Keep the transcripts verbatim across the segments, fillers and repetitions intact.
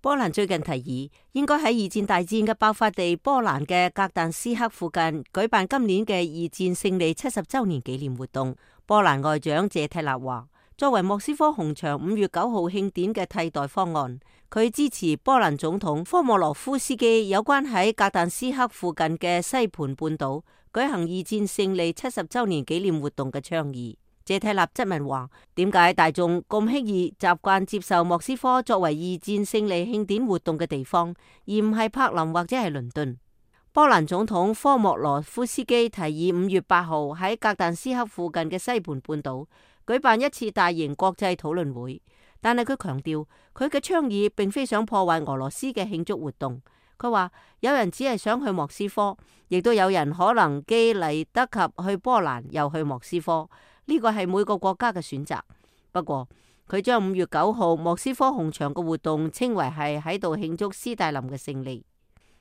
波蘭最近提議，應該喺二戰大戰嘅爆發地波蘭嘅格但斯克附近舉辦今年嘅二戰勝利七十周年紀念活動。波蘭外長謝蒂納話，作為莫斯科紅場五月九號慶典嘅替代方案，佢支持波蘭總統科莫羅夫斯基有關喺格但斯克附近嘅西盤半島舉行二戰勝利七十周年紀念活動嘅倡議。謝蒂納質問話，點解大眾咁輕易習慣接受莫斯科作為二戰勝利慶典活動嘅地方，而唔係柏林或者係倫敦？波蘭總統科莫羅夫斯基提議五月八號喺格但斯克附近嘅西盤半島舉辦一次大型國際討論會，但係佢強調佢嘅倡議並非想破壞俄羅斯嘅慶祝活動。佢話有人只係想去莫斯科，亦都有人可能既嚟得及去波蘭又去莫斯科。呢個係每個國家嘅選擇。不過佢將五月九號莫斯科紅場嘅活動稱為係喺度慶祝斯大林嘅勝利。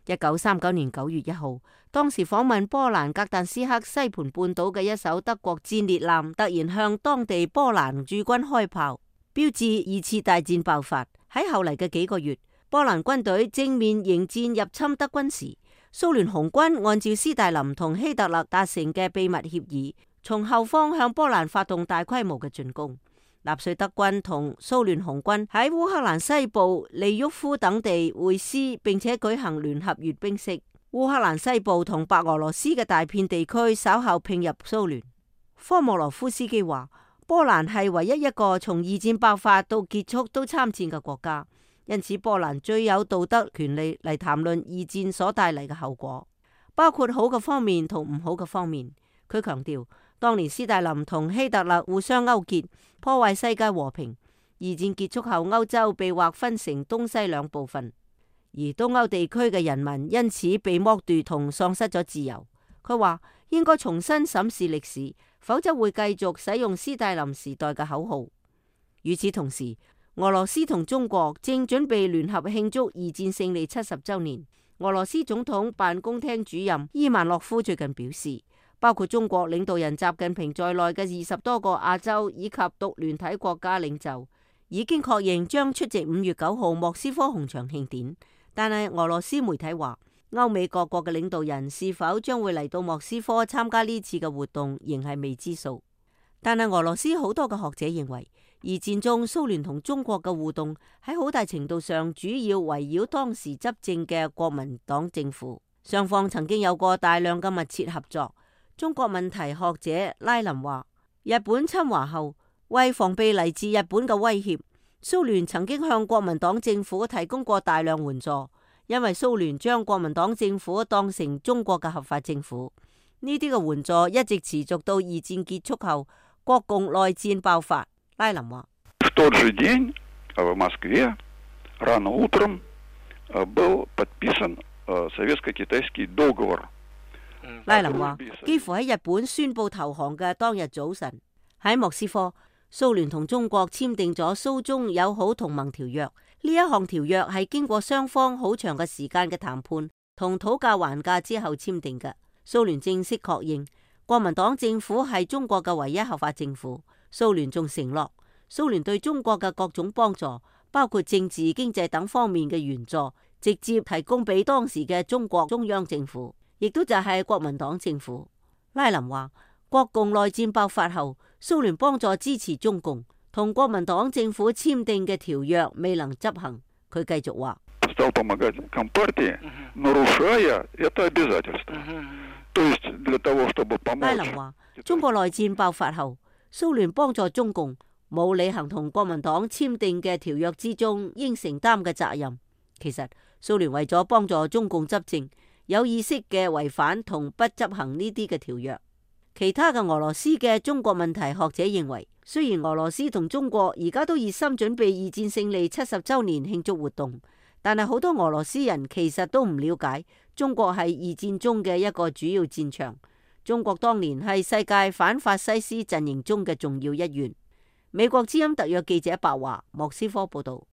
一九三九年九月一號，當時訪問波蘭格但斯克西盤半島嘅一艘德國戰列艦突然向當地波蘭駐軍開炮，標誌二次大戰爆發。喺後嚟嘅幾個月，波蘭軍隊正面迎戰入侵德軍時，蘇聯紅軍按照斯大林同希特勒達成嘅秘密協議，從後方向波蘭發動大規模嘅進攻。納粹德軍同蘇聯紅軍喺烏克蘭西部利沃夫等地會師，並且舉行聯合閱兵式。烏克蘭西部同白俄羅斯嘅大片地區稍後併入蘇聯。科莫羅夫斯基話，波蘭係唯一一個從二戰爆發到結束都參戰嘅國家，因此波蘭最有道德權利嚟談論二戰所帶嚟嘅後果，包括好嘅方面同唔好嘅方面。佢強調，當年斯大林同希特勒互相勾結，破壞世界和平。二戰結束後，歐洲被劃分成東西兩部分，而東歐地區嘅人民因此被剝奪同喪失咗自由。佢話應該重新審視歷史，否則會繼續使用斯大林時代嘅口號。與此同時，俄羅斯同中國正準備聯合慶祝二戰勝利七十週年。俄羅斯總統辦公廳主任伊萬諾夫最近表示，包括中國領導人習近平在內嘅二十多個亞洲以及獨聯體國家領袖已經確認將出席五月九號莫斯科紅場慶典。但係俄羅斯媒體話，歐美各國嘅領導人是否將會嚟到莫斯科參加呢次嘅活動，仍係未知數。但係俄羅斯好多嘅學者認為，二戰中蘇聯同中國嘅互動喺好大程度上主要圍繞當時執政嘅國民黨政府，雙方曾經有過大量嘅密切合作。中國問題學者拉林話，日本侵華後，為防備嚟自日本嘅威脅，蘇聯曾經向國民黨政府提供過大量援助，因為蘇聯將國民黨政府當成中國嘅合法政府。呢啲嘅援助一直持續到二戰結束後，國共內戰爆發。拉林話，拉林話，幾乎喺日本宣布投降嘅當日早晨，喺莫斯科，蘇聯同中國簽訂咗蘇中友好同盟條約。呢一項條約係經過雙方好長嘅時間嘅談判同討價還價之後簽訂嘅。蘇聯正式確認國民黨政府係中國嘅唯一合法政府。蘇聯仲承諾，蘇聯對中國嘅各種幫助，包括政治、經濟等方面嘅援助，直接提供俾當時嘅中國中央政府，亦都就係國民黨政府。拉林話，國共內戰爆發後，蘇聯幫助支持中共，同國民黨政府簽訂嘅條約未能執行。佢繼續話，拉林話，中國內戰爆發後，蘇聯幫助中共，冇履行同國民黨簽訂嘅條約之中應承擔嘅責任。其實蘇聯為咗幫助中共執政，有意識嘅違反同不執行呢啲嘅條約。其他嘅俄羅斯嘅中國問題學者認為，雖然俄羅斯同中國而家都熱心準備二戰勝利七十周年慶祝活動，但係好多俄羅斯人其實都唔了解中國係二戰中嘅一個主要戰場。中國當年係世界反法西斯陣營中嘅重要一員。美國之音特約記者白華，莫斯科報道。